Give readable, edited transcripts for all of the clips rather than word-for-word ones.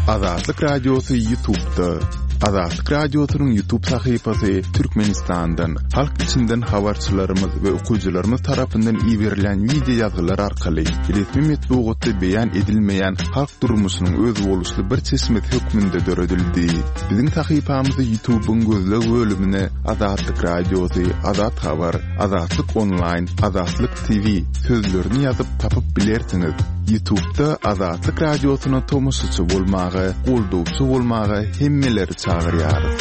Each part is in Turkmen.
Azatlyk Radiosy Ýutubda. Azatlyk Radiosynyň Ýutub sahypasy Türkmenistandan, halk içinden habarçylarymyz we okyjylarymyz tarapyndan iberilýän wideo ýazgylar arkaly resmi metbugatda beýan edilmeýän halk durmuşynyň özboluşly bir çeşmesi hökmünde döredildi. Biziň sahypamyzy Ýutubyň gözleg bölümine Azatlyk Radiosy, Azat Habar, Azatlyk Onlaýn, Azatlyk TV sözlerini ýazyp tapyp bilersiňiz. Ýutubda Azatlyk Radiosyna tomaşaçy bolmaga, goldawçy bolmaga hemmeleri çagyrýarys.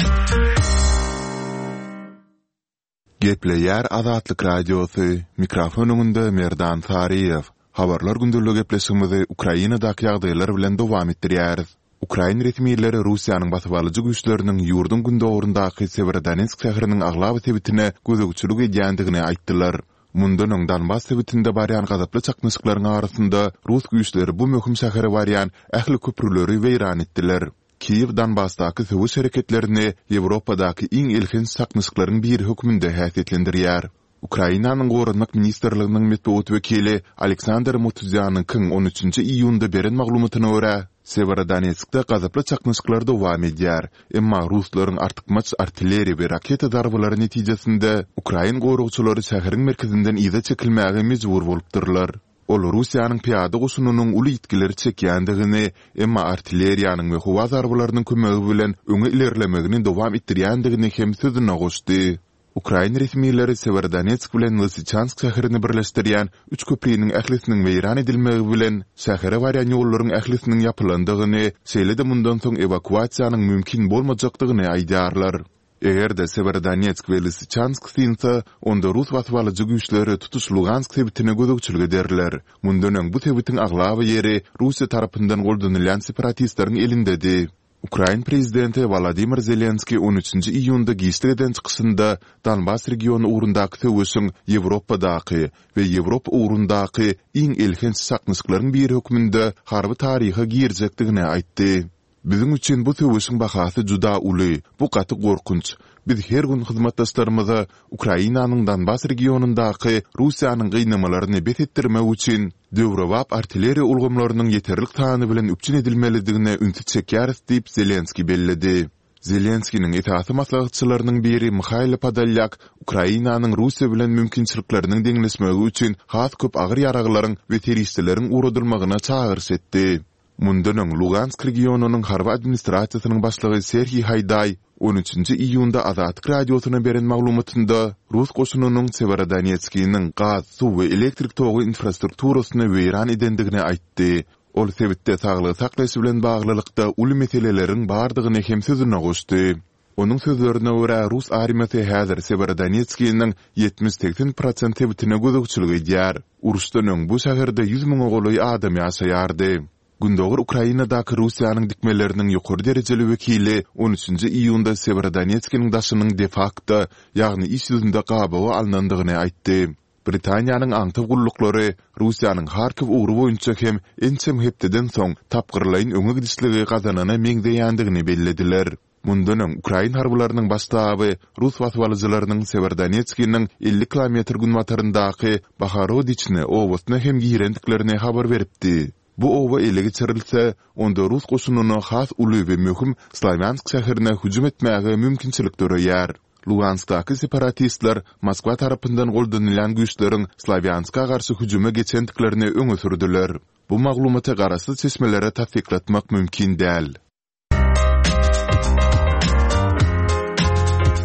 Gepleýär Azatlyk Radiosy, mikrofon öňünde Merdan Saryýew. Habarlar gündeligi gepleşigimizi Ukrainadaky ýagdaýlar bilen dowam etdirýäris. Ukrain resmileri Russiýanyň basybalyjy güýçleriniň ýurduň gündogaryndaky Sewerodonetsk şäheriniň aglaba sebitine gözegçilik edýändigini aýtdylar. Mundan öň Donbas sebitinde barýan gazaply çaknyşyklaryň arasynda rus güýçleri bu möhüm şähere barýan ähli köprüleri weýran etdiler. Kiýew Donbasdaky söweş hereketlerini Ýewropadaky iň elhenç çaknyşyklaryň biri hökmünde häsiýetlendirýär. Ukrainanyň Goranmak ministrliginiň metbugat wekili Aleksandr Mutuzýanyňkyň on üçünji iýunda beren maglumatyna görä, Sewerodonetskde gazaply çaknyşyklar dowam edýär, emma ruslaryň artykmaç artilleriýa we raketa zarbalary netijesinde ukrain goragçylary şäheriň merkezinden yza çekilmäge mejbur bolupdyrlar. Ol Russiýanyň pyýada goşunynyň uly ýitgileri çekýändigini, emma artilleriýanyň we howa zarbalarynyň kömegi bilen öňe ilerlemegini dowam etdirýändigini hem sözüne goşdy. Ukrain resmileri Sewerodonetsk bilen Lysyçansk şäherini birleşdirýän üç köpriniň ählisiniň weýran edilmegi bilen, şähere barýan ýollaryň ählisiniň ýapylandygyny, şeýle-de mundan soň ewakuasiýanyň mümkin bolmajakdygyny aýdýarlar. Eger-de Sewerodonetsk we Lysyçansk synsa, onda rus basybalyjy güýçleri tutuş Lugansk sebitine gözegçilik ederler. Mundan öň bu sebitiň aglaba ýeri Russiýa tarapyndan goldanylýan separatistleriň elindedi. Ukrain prezidenti Wolodymyr Zelenskiý on üçünji iýunda giçlik eden çykyşynda Donbas regiony ugrundaky söweşiň Ýewropadaky we Ýewropa ugrundaky iň elhenç çaknyşyklaryň biri hökmünde harby taryha girjekdigini aýtdy. Biziň üçin bu söweşiň bahasy juda uly, bu gaty gorkunç. Biz her gün hyzmatdaşlarymyza Ukrainanyň Donbas regionyndaky Russiýanyň gynamalaryny bes etdirmek üçin döwrebap artilleriýa ulgamlarynyň ýeterlik sany bilen üpjün edilmelidigine ünsi çekýäris diýip, Zelenskiý belledi. Zelenskiniň esasy maslahatçylarynyň biri Mihailo Podolýak Ukrainanyň Russiýa bilen mümkinçilikleriniň deňleşmegi üçin has köp agyr ýaraglaryň we serişdeleriň ugradylmagyna çagyryş etdi. Mundan öň Lugansk regionynyň harby administrasiýasynyň başlygy Serhiý Haýdaý on üçünji iýunda Azatlyk Radiosyna beren maglumatynda rus goşunynyň Sewerodonetskiniň gaz, suw we elektrik togy infrastrukturasyny weýran edendigini aýtdy. Ol sebitde saglygy saklaýyş bilen baglylykda uly meseleleriň bardygyny hem sözüne goşdy. Onuň sözlerine görä, rus armiýasy häzir Sewerodonetskiniň 70-80 prosent sebitine gözegçilik edýär. Uruşdan öň bu şäherde 100 müňe golaý adam ýaşaýardy. Gündogar Ukrainadaky Russiýanyň dikmeleriniň ýokary derejeli wekili on üçünji iýunda Sewerodonetskiniň daşynyň de-fakto, ýagny iş ýüzünde gabawa alnandygyny aýtdy. Britaniýanyň aňtaw gulluklary Russiýanyň Harkiw ugry boýunça hem ençeme hepdeden soň tapgyrlaýyn öňe gidişligi gazanana meňzeýändigini bellediler. Mundan öň, ukrain harbylarynyň baş ştaby rus basybalyjylarynyň Sewerodonetskiniň 50 kilometr günbataryndaky Bohorodiçne obasyna hem girendiklerini habar beripdi. Bu oba ele geçirilse, onda rus goşunyna has uly we möhüm Slawýansk şäherine hüjüm etmäge mümkinçilik döreýär. Luganskdaky separatistler Moskwa tarapyndan goldanylýan güýçleriň Slawýanska garşy hüjüme geçendiklerini öňe sürdüler. Bu maglumaty garaşsyz çeşmelere tassyklatmak mümkin däl.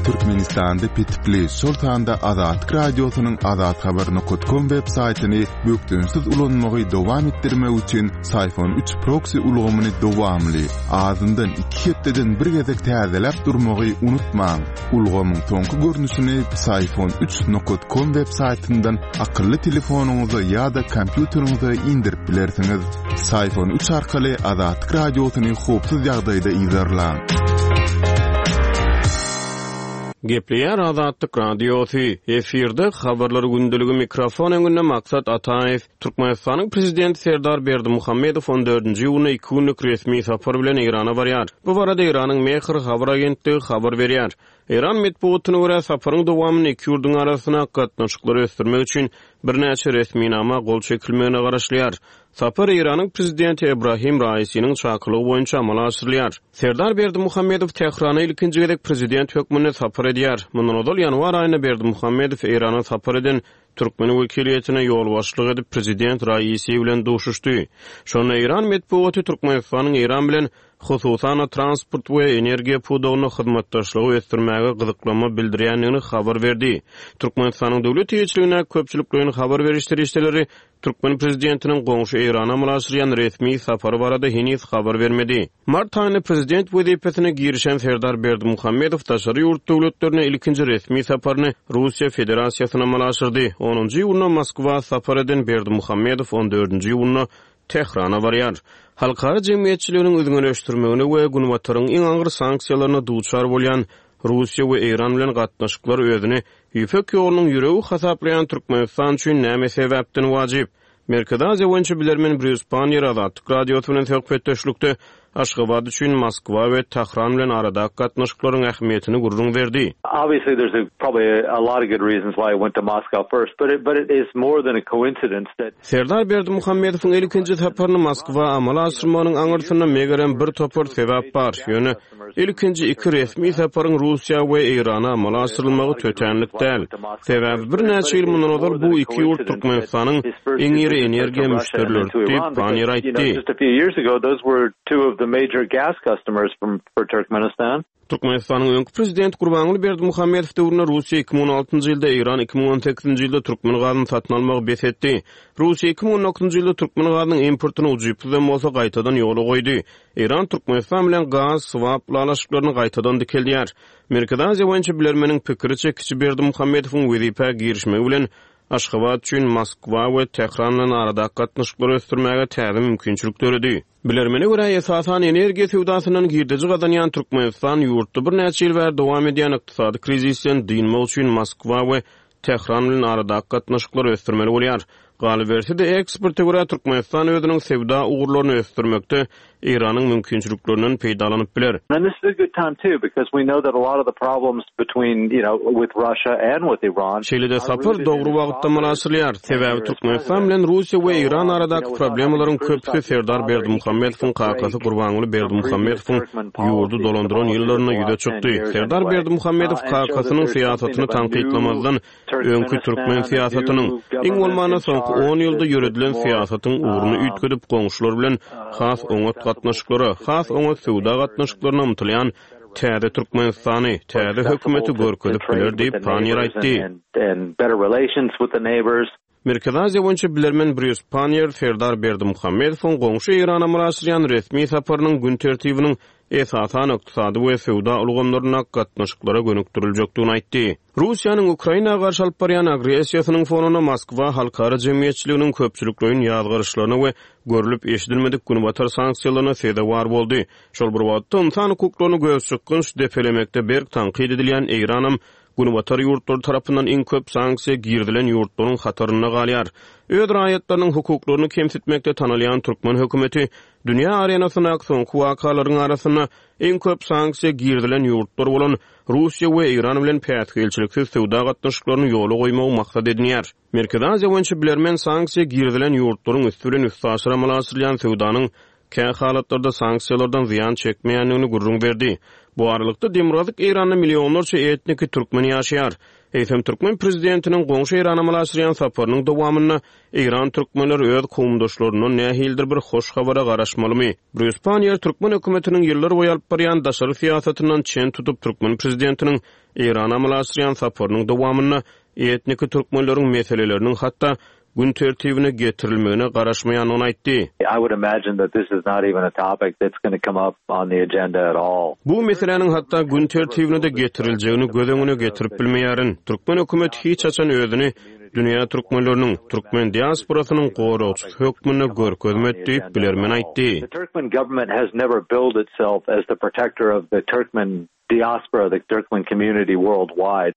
Türkmenistanda petikli, şol sanda Azatlyk Radiosynyň azathabar nokat kom web saýtyny bökdençsiz ulanmagy dowam etdirmek üçin Syfon üç proksi ulgamyny dowamly, azyndan iki hepdeden bir gezek täzeläp durmagy unutmaň. Ulgamyň soňky görnüşini Psiphon üç nokat kom web saýtyndan akylly telefonyňyza ýa-da kompýuteriňize indirip bilersiňiz. Psiphon üç arkaly Azatlyk Radiosyny howpsuz ýagdaýda yzarlaň. Gepleýär Azatlyk Radiosy, efirde Habarlar gündeligi mikrofon öňünde Maksat Ataýew. Türkmenistanyň Prezidenti Serdar Berdimuhamedow on dördünji iýunda iki günlük resmi sapar bilen Eýrana barýar. Bu barada Eýranyň Mehr habar agentligi habar berýär. Eýran metbugatyna görä, saparyň dowamynda iki ýurduň arasyndaky gatnaşyklary ösdürmek üçin birnäçe resminama gol çekilmegine garaşylýar. Sapar Eýranyň Prezidenti Ebrahim Raisiniň çakylygy boýunça amala aşyrylýar. Serdar Berdimuhamedow Tährana ilkinji gezek prezident hökmünde sapar edýär. Mundan ozal ýanwar aýynda Berdimuhamedow Eýrana sapar eden türkmen wekiliýetine ýolbaşçylyk edip prezident Raisi bilen duşuşdy. Şonda eýran metbugaty Türkmenistanyň Eýran bilen hususan-da transport we energiýa pudagynda hyzmatdaşlygy ösdürmäge gyzyklanma bildirýändigini habar berdi. Türkmenistanyň döwlet eýeçiligindäki köpçülikleýin habar beriş serişdeleri Türkmen prezidentiniň goňşy Eýrana amala aşyrýan resmi sapary barada heniz habar bermedi. Mart aýynda prezident wezipesine girişen Serdar Berdimuhamedow daşary ýurt döwletlerine ilkinji resmi saparyny Russiýa Federasiýasyna amala aşyrdy. Onunjy iýunda Moskwa sapar eden Berdimuhamedow on dördünji iýunda Tährana barýar. Halkara jemgyýetçiliginiň üzňeleşdirmegine we Günbataryň iň agyr sanksiýalaryna duçar bolýan Russiýa we Eýran bilen gatnaşyklar özüni Ýüpek ýolunyň ýüregi hasaplaýan Türkmenistan üçin näme sebäpden wajyp? Merkezi Aziýa boýunça bilermen Brýus Panniýer Azatlyk Radiosy bilen söhbetdeşlikde Aşgabat üçin Moskwa we Tahran bilen aradaky gatnaşyklaryň ähmiýetini gürrüň berdi. Obviously there's a probably a lot of good reasons why he went to Moscow first, but it but it is more than a coincidence that. Serdar Berdimuhamedowyň ilkinji saparyny Moskwa amala aşyrmagynyň aňyrsynda megerem bir topar sebäp bar, ýöne Ilkinji iki resmi saparyň Russiýa we Eýrana amala aşyrylmagy tötänlik däl. Sebäbi birnäçe ýyl mundan ozal bu iki ýurt Türkmenistanyň iň iri energiýa müşderileridi diýip, Panniýer aýtdy. Türkmenistanyň öňki prezidenti Gurbanguly Berdimuhamedow döwründe Russiýa 2016-njy ýylda, Eýran 2018-nji ýylda türkmen gazyny satyn almagy bes etdi. Russiýa 2019-njy ýylda türkmen gazynyň importyny ujypsyzam bolsa gaýtadan ýola goýdy. Eýran Türkmenistan bilen gaz swap ylalaşyklaryny gaýtadan dikeldýär. Merkezi Aziýa boýunça bilermeniň pikiriçe, kiçi Berdimuhamedowyň wezipä girişmegi bilen Aşgabat üçin Moskwa we Tähran bilen aradaky gatnaşyklary ösdürmäge täze mümkinçilik döredi. Bilermene görä, esasan energiýa söwdasyndan girdeji gazanýan Türkmenistan ýurtda birnäçe ýyl bäri dowam edýän ykdysady krizisden dynmak üçin Moskwa we Tähran bilen aradaky gatnaşyklary ösdürmeli bolýar. Galyberse-de, eksperte görä, Türkmenistan özüniň söwda ugurlaryny ösdürmekde Eýranyň mümkinçiliklerinden peýdalanyp biler. Şeýle-de sapar dogry wagtda amala aşyrylýar. Sebäbi Türkmenistan bilen Russiýa we Eýran aradaky problemalaryň köpüsi Serdar Berdimuhamedowyň kakasy Gurbanguly Berdimuhamedowyň ýurdy dolandyran ýyllarynda ýüze çykdy. Serdar Berdimuhamedow kakasynyň syýasatyny tankytlamazdan, öňki türkmen syýasatynyň, iň bolmanda soňky on ýylda ýöredilen syýasatyň ugruny üýtgedip, goňşular bilen has oňat gatnaşyklara, has oňat söwda gatnaşyklaryna ymtylýan täze Türkmenistany, täze hökümeti görkezip biler diýip, Panniýer aýtdy. Merkezi Aziýa boýunça bilermen Brýus Panniýer Serdar Berdimuhamedowyň goňşy Eýrana amala aşyrýan resmi saparynyň gün tertibiniň esasan ykdysady we söwda ulgamlaryndaky gatnaşyklara gönükdiriljekdigini aýtdy. Russiýanyň Ukraina garşy alyp barýan agressiýasynyň fonunda Moskwa halkara jemgyýetçiliginiň köpçülikleýin ýazgaryşlaryna we görlüp-eşidilmedik günbatar sanksiýalaryna sezewar boldy. Şol bir wagtda, ynsan hukuklaryny gözçykgynç depelemekde berk tankyt edilýän Eýranam Günbatar ýurtlary tarapyndan iň köp sanksiýa girizilen ýurtlaryň hatarynda galýar. Öz raýatlarynyň hukuklaryny kemsitmekde tanalýan türkmen hökümeti dünýä arenasyndaky soňky wakalaryň arasynda iň köp sanksiýa girizilen ýurtlar bolan Russiýa we Eýran bilen päsgelçiliksiz söwda gatnaşyklaryny ýola goýmagy maksat edinýär. Merkezi Aziýa boýunça bilermen sanksiýa girizilen ýurtlaryň üsti bilen üstaşyr amala aşyrylýan söwdanyň kä halatlarda sanksiýalardan zyýan çekmeýändigini gürrüň berdi. Bu aralykda, demirgazyk Eýranda millionlarça etniki türkmen ýaşaýar. Eýsem, türkmen prezidentiniň goňşy Eýrana amala aşyrýan saparynyň dowamynda eýran türkmenleri öz kowumdaşlaryndan nähilidir bir hoş habara garaşmalymy? Brýus Panniýer türkmen hökümetiniň ýyllarboýy alyp barýan daşary syýasatyndan çen tutup, türkmen prezidentiniň Eýrana amala aşyrýan saparynyň dowamynda etniki türkmenleriň meseleleriniň hatda gün tertibine getirilmegine garaşmaýandygyny aýtdy. I would imagine that this is not even a topic that's gonna come up on the agenda at all. Bu meseläniň hatda gün tertibine-de getiriljegini göz öňüne getirip bilmeýärin. Türkmen hökümeti hiç haçan özüni dünýä türkmenleriniň, türkmen diasporasynyň goragçysy hökmünde görkezmedi diýip, bilermen aýtdy. The Turkmen government has never billed itself as the protector of the Turkmen diaspora, the Turkmen community worldwide.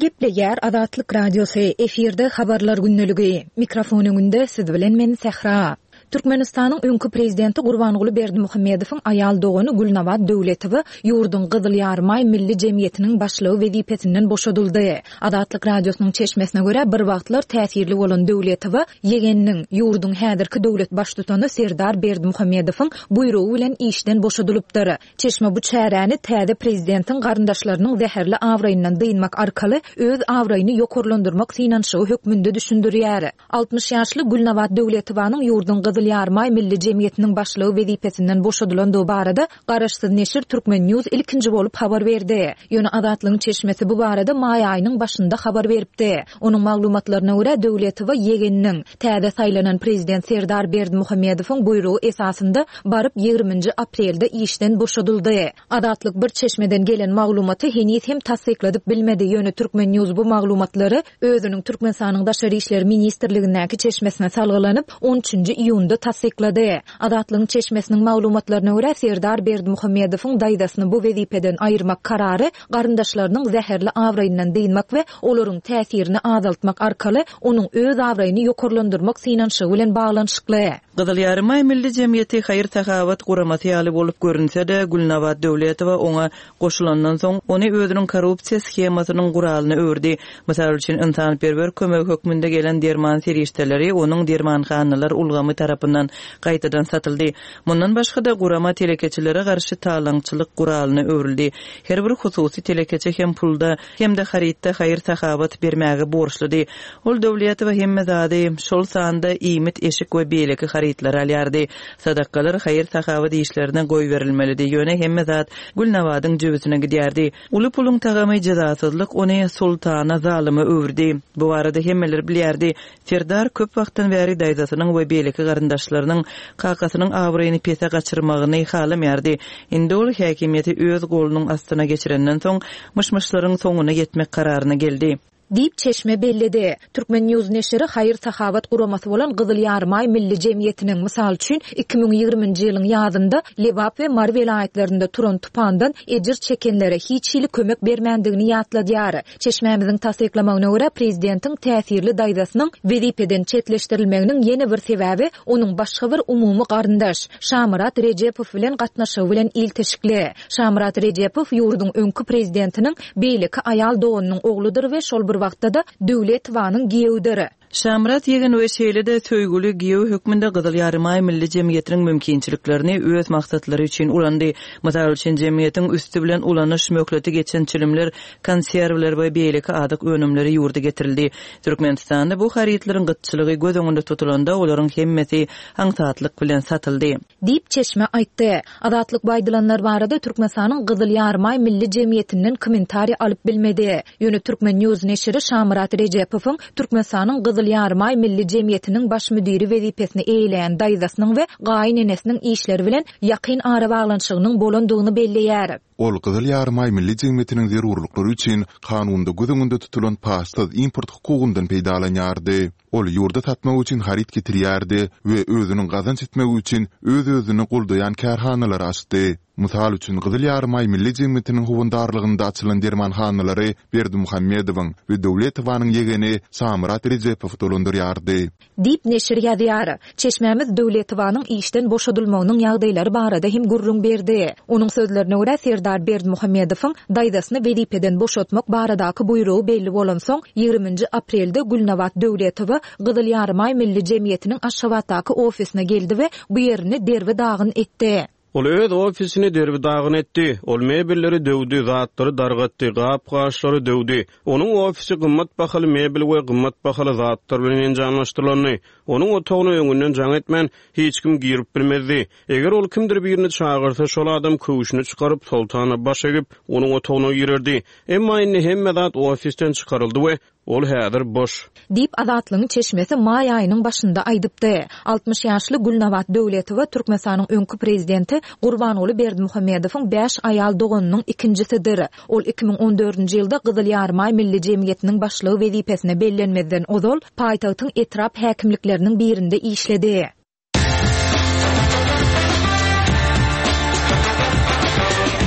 Gepleýär Azatlyk Radiosy, efirde Habarlar gündeligi. Mikrofon öňünde siz bilen men Sähra. Türkmenistanyň öňki prezidenti Gurbanguly Berdimuhamedowyň aýal dogany Gülnabat Döwletowa ýurduň Gyzyl Ýarymaý milli jemgyýetiniň başlygy wezipesinden boşadyldy. Azatlyk Radiosynyň çeşmesine görä, bir wagtlar täsirli bolan Döwletowa ýegeniniň, ýurduň häzirki döwlet baştutany Serdar Berdimuhamedowyň buýrugy bilen işden boşadylypdyr. Çeşme bu çäräni täze prezidentiň garyndaşlarynyň zäherli abraýyndan dynmak arkaly öz abraýyny ýokarlandyrmak synanyşygy hökmünde düşündirýär. 60 ýaşly Gülnabat Döwletowanyň ýurduň Gyzyl Ýarymaý milli jemgyýetiniň başlygy wezipesinden boşadylandygy barada garaşsyz neşir Turkmen. News ilkinji bolup habar berdi. Ýöne Azatlygyň çeşmesi bu barada maý aýynyň başynda habar beripdi. Onuň maglumatlaryna görä, Döwletowa ýegeniniň, täze saýlanan prezident Serdar Berdimuhamedowyň buýrugy esasynda baryp ýigriminji aprelde işden boşadyldy. Azatlyk bir çeşmeden gelen maglumaty heniz hem tassykladyp bilmedi, ýöne Turkmen. News bu maglumatlary özüniň Türkmenistanyň Daşary işler ministrligindäki çeşmesine salgylanyp, on üçünji iýunda tassyklady. Azatlygyň çeşmesiniň maglumatlaryna görä, Serdar Berdimuhamedowyň daýzasyny bu wezipeden aýyrmak karary garyndaşlarynyň zäherli abraýyndan dynmak we olaryň täsirini azaltmak arkaly onuň öz abraýyny ýokarlandyrmak synanyşygy bilen baglanyşykly. Gyzyl Ýarymaý Milli jemgyýeti haýyr-sahawat guramasy ýaly bolup görünse-de, Gülnabat Döwletowa oňa goşulandan soň, ony özüniň korrupsiýa shemasynyň guralyna öwürdi. Mysal üçin, ynsanperwer kömegi hökmünde gelen derman serişdeleri onuň dermanhanalar ulgamy tarapyndan gaýtadan satyldy. Mundan başga-da, gurama telekeçilere garşy talaňçylyk guralyna öwrüldi. Her bir hususy telekeçi hem pulda, hem-de harytda haýyr-sahawat bermäge borçludy. Ol Döwletowa hemme zady, şol sanda iýmit, eşik we beýleki harytlary alýardy. Sadakalar haýyr-sahawat işlerine goýberilmelidi, ýöne hemme zat Gülnabadyň jübüsine gidýärdi. Uly puluň tagamy jezasyzlyk ony soltana, zalyma öwürdi. Bu barada hemmeler bilýärdi. Serdar köp wagtdan bäri daýzasynyň we beýleki garyndaşlarynyň kakasynyň abraýyny pese gaçyrmagyny halamaýardy. Indi ol häkimiýeti öz golunyň astyna geçirenden soň, myş-myşlaryň soňuna ýetmek kararyna geldi. Diýip, çeşme belledi. Turkmen. News neşiri haýyr-sahawat guramasy bolan Gyzyl Ýarymaý milli jemgyýetiniň, mysal üçin, 2020-nji ýylyň ýazynda Lebap we Mary welaýatlarynda turan tupandan ejir çekenlere hiç hili kömek bermändigini ýatladýar. Çeşmämiziň tassyklamagyna görä, prezidentiň täsirli daýzasynyň wezipeden çetleşdirilmeginiň ýene bir sebäbi onuň başga bir umumy garyndaş, Şamyrat Rejepow bilen gatnaşygy bilen ilteşikli. Şamyrat Rejepow ýurduň öňki prezidentiniň beýleki aýal doganynyň ogludyr we şol bir wagtda-da Döwletowanyň giýewidir. Şamyrat ýegen we şeýle-de söýgüli giýew hökmünde Gyzyl Ýarymaý Milli jemgyýetiniň mümkinçiliklerini öz maksatlary üçin ulandy. Mysal üçin, jemgyýetiň üsti bilen ulanyş möhleti geçen çilimler, konserwler we beýleki azyk önümleri ýurda getirildi. Türkmenistanda bu harytlaryň gytçylygy göz öňünde tutulanda, olaryň hemmesi aňsatlyk bilen satyldy. Diýip, çeşme aýtdy. Azatlyk bu aýdylanlar barada Türkmenistanyň Gyzyl Ýarymaý Milli jemgyýetinden kommentariý alyp bilmedi. Ýöne Turkmen. News neşiri Şamyrat Rejepowyň Türkmenistanyň Gyzyl Ýarymaý Milli jemgyýetiniň baş müdiri wezipesini eýeleýän daýzasynyň we gaýynenesiniň işleri bilen ýakyn arabaglanyşygynyň bolandygyny belleýär. Ol Gyzyl Ýarymaý Milli jemgyýetiniň zerurlyklary üçin kanunda göz öňünde tutulan paçsyz import hukugyndan peýdalanýardy. Ol ýurda satmak üçin haryt getirýärdi we özüniň gazanç etmegi üçin öz-özüni goldaýan kärhanalary açdy. Mysal üçin, Gyzyl Ýarymaý Milli jemgyýetiniň howandarlygynda açylan dermanhanalary Berdimuhamedowyň we Döwletowanyň ýegeni Şamyrat Rejepow dolandyrýardy. Diýip, neşir ýazýar. Çeşmämiz Döwletowanyň işden boşadylmagynyň ýagdaýlary barada hem gürrüň berdi. Onuň sözlerine görä, Serdar Berdimuhamedowyň daýzasyny wezipeden boşatmak baradaky buýrugy belli bolansoň, ýigriminji aprelde Gülnabat Döwletowa Gyzyl Ýarymaý Milli jemgyýetiniň Aşgabatdaky ofisine geldi we bu ýerini derbi-dagyn etdi. Ol öz ofisini derbi-dagyn etdi. Ol mebelleri döwdi, zatlary dargatdy, gap-gaçlary döwdi. Onuň ofisi gymmat bahaly mebel we gymmat bahaly zatlar bilen enjamlaşdyrylandy. Onuň otagyna öňünden jaň etmän, hiç kim girip bilmezdi. Eger ol kimdir birini çagyrsa, şol adam köwşüni çykaryp, Soltana baş egip, onuň otagyna girerdi. Emma indi hemme zat ofisden çykaryldy we Ol häzir boş. Diýip, Azatlygyň çeşmesi maý aýynyň başynda aýdypdy. 60 ýaşly Gülnabat Döwletowa Türkmenistanyň öňki prezidenti Gurbanguly Berdimuhamedowyň bäş aýal doganynyň ikinjisidir. Ol 2014-nji ýylda Gyzyl Ýarymaý Milli jemgyýetiniň başlygy wezipesine bellenmezden ozal, paýtagtyň etrap häkimlikleriniň birinde işledi.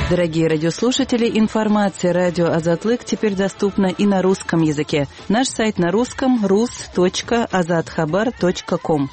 Дорогие радиослушатели, информация радио Азатлык теперь доступна и на русском языке. Наш сайт на русском rus.azathabar.com.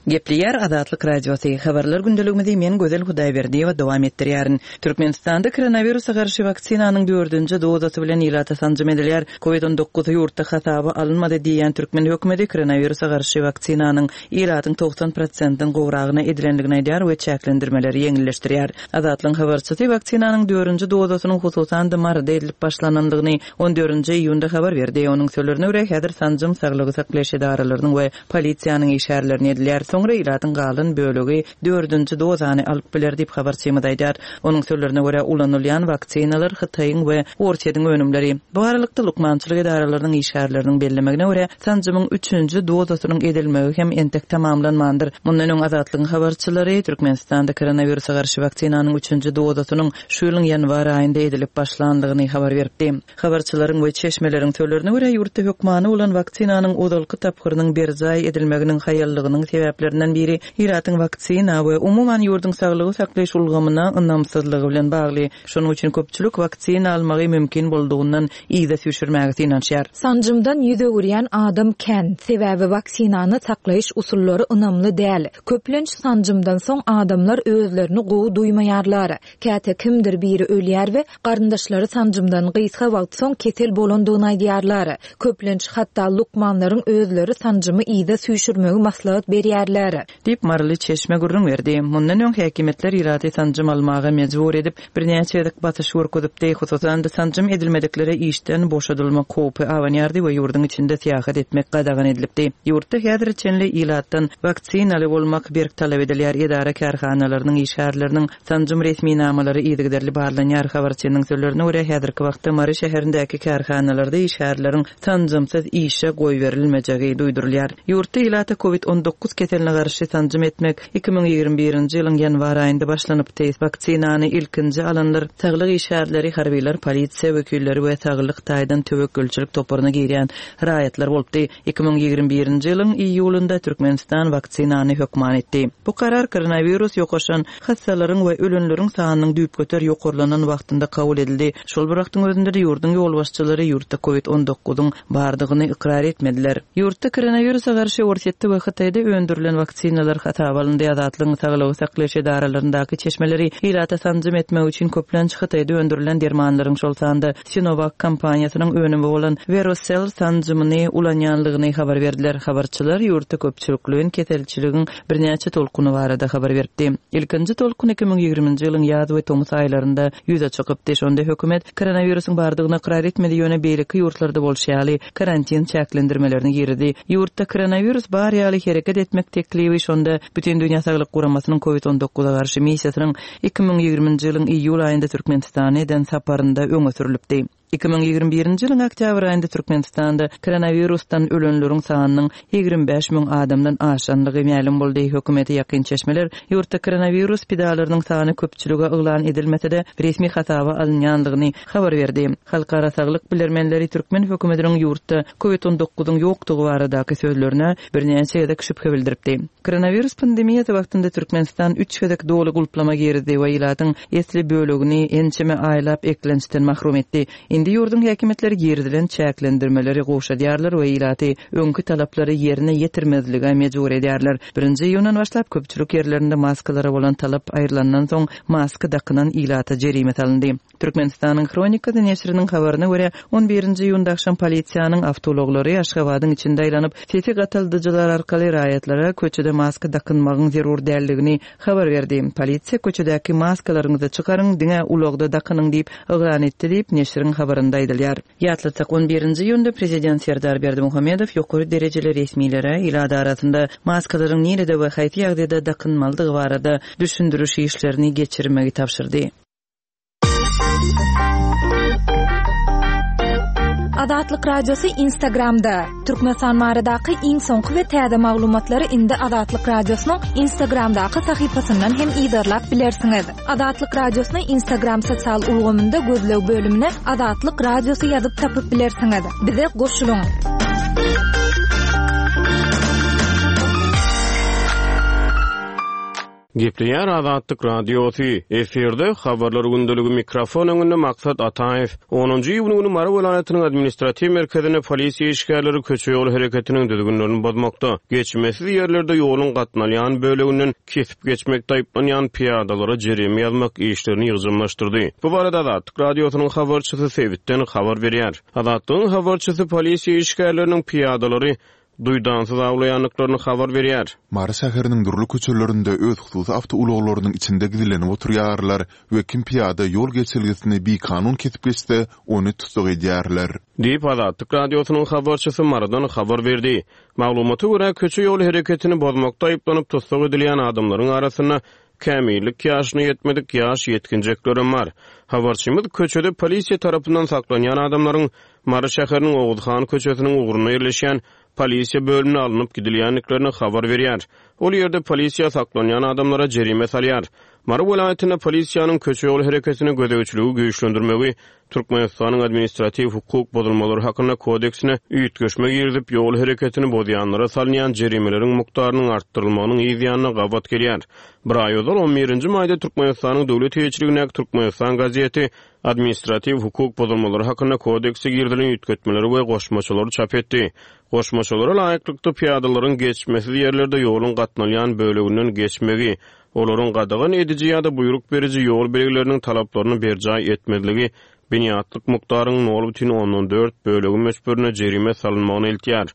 Gepleýär Azatlyk Radiosy, Habarlar gündeligimizi men Gözel Hudaýberdiýewa dowam etdirýärin. Türkmenistanda koronawirusa garşy waksinanyň dördünji dozasy bilen ilata sanjym edilýär. Covid 19 ýurtda hasaba alynmady diýýän türkmen hökümeti koronawirusa garşy waksinanyň ilatyň 90 prosentden gowragyna edilendigini aýdýar we çäklendirmeleri ýeňilleşdirýär. Azatlygyň habarçysy waksinanyň dördünji dozasynyň hususan-da Maryda edilip başlanandygyny on dördünji iýunda habar berdi. Onuň sözlerine görä, häzir sanjym saglygy saklaýyş edaralarynyň we polisiýanyň işgärlerine edilýär. Soňra ilatyň galan bölegi dördünji dozany alyp biler diýip, habarçymyz aýdýar. Onuň sözlerine görä, ulanylýan waksinalar Hytaýyň we Orsýetiň önümleri. Bu aralykda, lukmançylyk edaralarynyň işgärleriniň bellemegine görä, sanjymyň üçünji dozasynyň edilmegi hem entek tamamlanmandyr. Mundan öň Azatlygyň habarçylary Türkmenistanda koronawirusa garşy waksinanyň üçünji dozasynyň şu ýylyň ýanwar aýynda edilip başlandygyny habar beripdi. Habarçylaryň we çeşmeleriň sözlerine görä, ýurtda hökmany bolan waksinanyň ozalky tapgyrynyň berjaý edilmeginiň haýallygynyň sebäplerinden biri ilatyň waksina we umuman ýurduň saglygy saklaýyş ulgamyna ynamsyzlygy bilen bagly. Şonuň üçin köpçülik waksina almagy mümkin boldugyndan yza süýşürmäge synanyşýar. Sanjymdan ýüz öwürýän adam kän, sebäbi waksinany saklaýyş usullary ynamly däl. Köplenç sanjymdan soň adamlar özlerini gowy duýmaýarlar. Käte kimdir biri ölýär we garyndaşlary sanjymdan gysga wagt soň kesel bolandygyny aýdýarlar. Köplenç, hatda lukmanlaryň özleri sanjymy yza süýşürmegi maslahat berýärler. Diýip, maryly çeşme gürrüň berdi. Mundan öň häkimiýetler ilaty sanjym almaga mejbur edip, birnäçe gezek basyş görkezipdi. Hususan-da, sanjym edilmediklere işden boşadylmak howpy abanýardy we ýurduň içinde syýahat etmek gadagan edilipdi. Ýurtda häzire çenli ilatdan waksinaly bolmak berk talap edilýär, edara-kärhanalarynyň işgärleriniň Sanjym resminamalary yzygiderli barlanýar. Habarçynyň sözlerine görä, häzirki wagtda Mary şäherindäki kärhanalarda işgärleriň sanjymsyz işe goýberilmejegi duýdurylýar. Ýurtda ilata Covid 19 keseline garşy sanjym etmek 2021-nji ýylyň ýanwar aýynda başlanypdy. Waksinany ilkinji alanlar saglyk işgärleri, harbylar, polisiýa wekilleri we saglyk taýdan töwekgelçilik toparyna girýän raýatlar bolupdy. 2021-nji ýylyň iýulynda Türkmenistan waksinany hökman etdi. Bu karar koronawirus ýokaşan hassalaryň we ölenleriň sanynyň düýpgöter ýokarlanan wagtynda kabul edildi. Şol bir wagtyň özünde-de ýurduň ýolbaşçylary ýurtda covid 19-yň bardygyny ykrar etmediler. Ýurtda koronawirusa garşy Orsýetde we Hytaýda öndürilen waksinalar hasaba alyndy. Azatlygyň saglygy saklaýyş edaralaryndaky çeşmeleri ilata sanjym etmek üçin köplenç Hytaýda öndürilen dermanlaryň, şol sanda Sinovac kompaniýasynyň önümi bolan Verocell sanjymyny ulanýanlygyny habar berdiler. Habarçylar ýurtda köpçülikleýin keselçiligiň birnäçe tolkuny barada habar beripdi. Ilkinji tolkun 2020-nji ýylyň ýaz we tomus aýlarynda ýüze çykypdy. Şonda hökümet koronawirusyň bardygyny ykrar etmedi, ýöne beýleki ýurtlarda bolşy ýaly karantin çäklendirmelerini girizdi. Ýurtda koronawirus bar ýaly hereket etmek teklibi şonda Bütindünýä Saglyk Guramasynyň Covid 19-a garşy missiýasynyň 2020-nji ýylyň iýul aýynda Türkmenistana eden saparynda öňe sürlüpdi. 2021-nji ýylyň oktýabr aýynda Türkmenistanda koronawirusdan ölenleriň sanynyň 25 müň adamdan aşandygy mälim boldy. Hökümete ýakyn çeşmeler ýurtda koronawirus pidalarynyň sany köpçülige yglan edilmese-de, resmi hasaba alynýandygyny habar berdi. Halkara saglyk bilermenleri türkmen hökümetiniň ýurtda Covid 19-yň ýokdugy baradaky sözlerine birnäçe gezek şübhe bildiripdi. Koronawirus pandemiýasy wagtynda Türkmenistan üç gezek doly gulplama girizdi we ilatyň esli bölegini ençeme aýlap eklençden mahrum etdi. Indi ýurduň häkimiýetleri girizilen çäklendirmeleri gowşadýarlar we ilaty öňki talaplary ýerine ýetirmezlige mejbur edýärler. Birinji iýundan başlap köpçülik ýerlerinde maskalara bolan talap aýrylandan soň maska dakynan ilata jerime salyndy. Türkmenistanyň Hronikasy neşiriniň habaryna görä, on birinji iýunda agşam polisiýanyň awtoulaglary Aşgabadyň içinde aýlanyp, sesi gataldyjylar arkaly raýatlara köçede maska dakynmagyň zerur däldigini habar berdi. Polisiýa köçedäki maskalaryňyzy çykaryň, diňe ulagda dakynyň diýip yglan etdi diýip, neşiriň habarynda aýdylýar. Ýatlatsak, on birinji iýunda prezident Serdar Berdimuhamedow ýokary derejeli resmilere ilat arasynda maskalaryň nirede we haýsy ýagdaýda dakynmalydygy barada düşündiriş işlerini geçirmegi tabşyrdy. Azatlyk Radiosy Instagramda. Türkmenistan baradaky iň soňky we täze maglumatlary indi Azatlyk Radiosynyň Instagramdaky sahypasyndan hem yzarlap bilersiňiz. Azatlyk Radiosyny Instagram sosial ulgamynda gözleg bölümine Azatlyk Radiosy ýazyp tapyp bilersiňiz. Bize goşulyň! Gepleýär Azatlyk Radiosy, Efirde, Habarlar gündeligi, mikrofon öňünde Maksat Ataýew. Onunjy iýun güni Mary welaýatynyň administratiw merkezinde polisiýa işgärleri köçe-ýol hereketiniň düzgünlerini bozmakda, geçmesiz ýerlerde ýoluň gatnalýan böleginden kesip geçmekde aýyplanýan pyýadalara jerime ýazmak işlerini ýygjamlaşdyrdy. Bu barada Azatlyk Radiosynyň habarçysy sebitden habar berýär. Azatlygyň habarçysy polisiýa işgärleriniň pyýadalary duýdansyz awlaýandyklaryny habar berýär. Mary şäheriniň dürli köçelerinde öz hususy awtoulaglarynyň içinde gizlenip oturýarlar we kim pyýada ýol geçelgesini bikanun kesip geçse, ony tussag edýärler. Diýip, Azatlyk Radiosynyň habarçysy Marydan habar berdi. Maglumata görä, köçe-ýol hereketini bozmakda aýyplanyp tussag edilýän adamlaryň arasynda kämillik ýaşyna ýetmedik ýaş ýetginjeklerem bar. Habarçymyz köçede polisiýa tarapyndan saklanýan adamlaryň Mary şäheriniň Oguzhan köçesiniň ugrunda ýerleşýän polisiýa bölümine alnyp gidilýändiklerini habar berýär. Ol ýerde polisiýa saklanýan adamlara jerime salýar. Mary welaýatynda polisiýanyň köçe-ýol hereketine gözegçiligi güýçlendirmegi Türkmenistanyň Administratiw hukuk bozulmalary hakynda kodeksine üýtgeşme girizip, ýol hereketini bozýanlara salynýan jerimeleriň mukdarynyň artdyrylmagynyň yz ýanyna gabat gelýär. Bir aý ozal, on birinji maýda Türkmenistanyň döwlet eýeçiligindäki Türkmenistan gazeti Administratiw hukuk bozulmalary hakynda kodekse girizilen üýtgetmeleri we goşmaçalary çap etdi. Goşmaçalara laýyklykda, pyýadalaryň geçmesiz ýerlerde ýoluň gatnalýan böleginden geçmegi, olaryň gadagan ediji ýa-da buýruk beriji ýol belgileriniň talaplaryny berjaý etmezligi binýatlyk mukdaryň nol bütin ondan dört bölegi möçberinde jerime salynmagyna eltýär.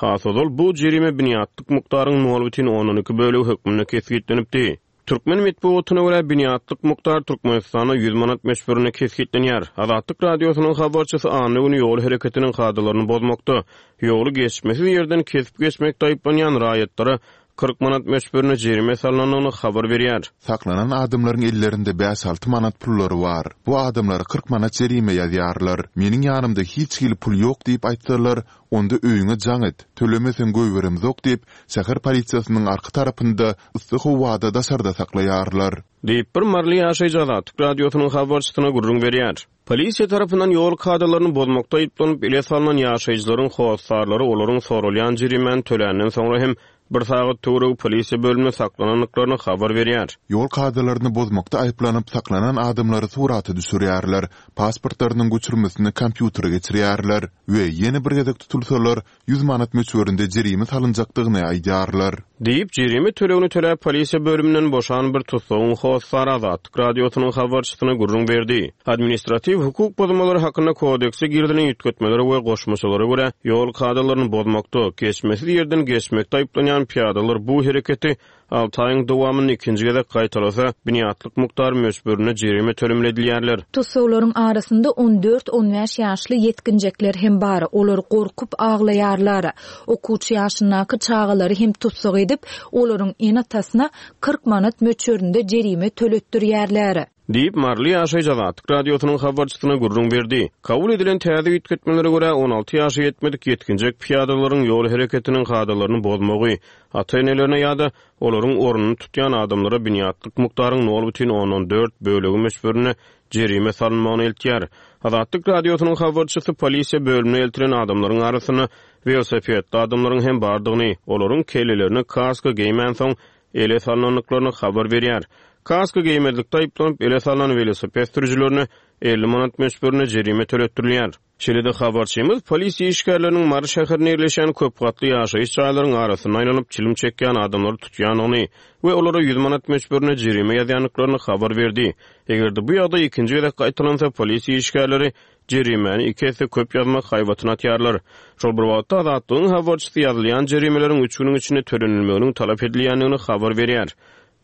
Has ozal bu jerime binýatlyk mukdaryň nol bütin ondan iki bölegi hökmünde kesgitlenipdi. Türkmen metbugatyna görä, binýatlyk mukdar Türkmenistanda 100 manat möçberinde kesgitlenýär. Azatlyk Radiosynyň habarçysy anna güni ýol hereketiniň kadalaryny bozmakda, ýoly geçmesiz ýerden kesip geçmekde aýyplanýan raýatlara 40 manat möçberinde jerime salnandygyny habar berýär. Saklanan adamlaryň ellerinde bäş-alty manat pullary bar. Bu adamlara 40 manat jerime ýazýarlar. Meniň ýanymda hiç hili pul ýok diýip aýtsalar, onda öýüňe jaň et, tölemeseň goýberemzok diýip, şäher polisiýasynyň arka tarapynda yssy howada daşarda saklaýarlar. Diýip, bir maryly ýaşaýjy Azatlyk Radiosynyň habarçysyna gürrüň berýär. Polisiýa tarapyndan ýol kadalaryny bozmakda aýyplanyp, ele salnan ýaşaýjylaryň hossarlary olaryň soralýan jerimäni töländen soňra hem bir sagat töweregi polisiýa bölüminde saklanandyklaryny habar berýär. Ýol kadalaryny bozmakda aýyplanyp saklanan adamlary surata düşürýärler, pasportlarynyň göçürmesini kompýutere geçirýärler we ýene bir gezek tutulsalar, 100 manat möçberinde jerime salynjakdygyny aýdýarlar. Diýip, jerime tölegini töläp, polisiýa bölüminden boşan bir tussagyň hossary Azatlyk Radiosynyň habarçysyna gürrüň berdi. Administratiw hukuk bozulmalary hakynda kodekse girizilen üýtgetmelere we goşmaçalara görä, ýol kadalaryny bozmakda, geçmesiz ýerden geçmekde aýyplanýan pyýadalar bu hereketi Alty aýyň dowamynda ikinji gezek gaýtalasa, binýatlyk mukdar möçberinde jerime tölemeli edilýärler. Tussaglaryň arasynda on dört-on bäş ýaşly ýetginjekler hem bar, olar gorkup aglaýarlar. Okuwçy ýaşyndaky çagalary hem tussag edip, olaryň ene-atasyna 40 manat möçberinde jerime töletdirýärler. Diýip, maryly ýaşaýjy Azatlyk Radiosynyň habarçysyna gürrüň berdi. Kabul edilen täze üýtgetmelere görä, 16 ýaşa ýetmedik ýetginjek pyýadalaryň ýol hereketiniň kadalaryny bozmagy, ata-enelerine ýa-da olaryň ornuny tutýan adamlara binýatlyk mukdaryň nol bütin ondan dört bölegi möçberinde jerime salynmagyna eltýär. Azatlyk Radiosynyň habarçysy polisiýa bölümine eltilen adamlaryň arasynda welosipedli adamlaryň hem bardygyny, olaryň kellelerine kaska geýmänsoň, ele salnandyklaryny habar berýär. Kaska geýmezlikde aýyplanyp, ele salnan welosiped sürüjilerine 50 manat möçberinde jerime töletdirilýär. Şeýle-de habarçymyz polisiýa işgärleriniň Mary şäherinde ýerleşýän köp gatly ýaşaýyş jaýlaryň arasynda aýlanyp, çilim çekýän adamlary tutýandygyny we olara 100 manat möçberinde jerime ýazýandyklaryny habar berdi. Eger-de bu ýagdaý ikinji gezek gaýtalansa, polisiýa işgärleri jerimäni iki esse köp ýazmak haýbatyny atýarlar. Şol bir wagtda, Azatlygyň habarçysy ýazylýan jerimeleriň üç günüň içinde tölenilmeginiň talap edilýändigini habar berýär.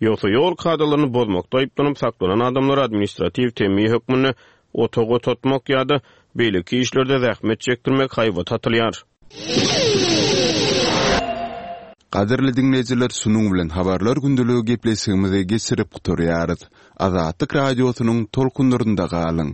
Ýogsa ýol kadalaryny bozmakda aýyplanyp saklanan adamlara administratiw temmi hökmünde otag otatmak ýa-da beýleki işlerde zähmet çekdirmek haýbaty atylýar. Gadyrly diňleýjiler şunuň bilen Habarlar gündeligi gepleşigimizi geçirip gutarýarys. Azatlyk Radiosynyň tolkunlarynda galyň.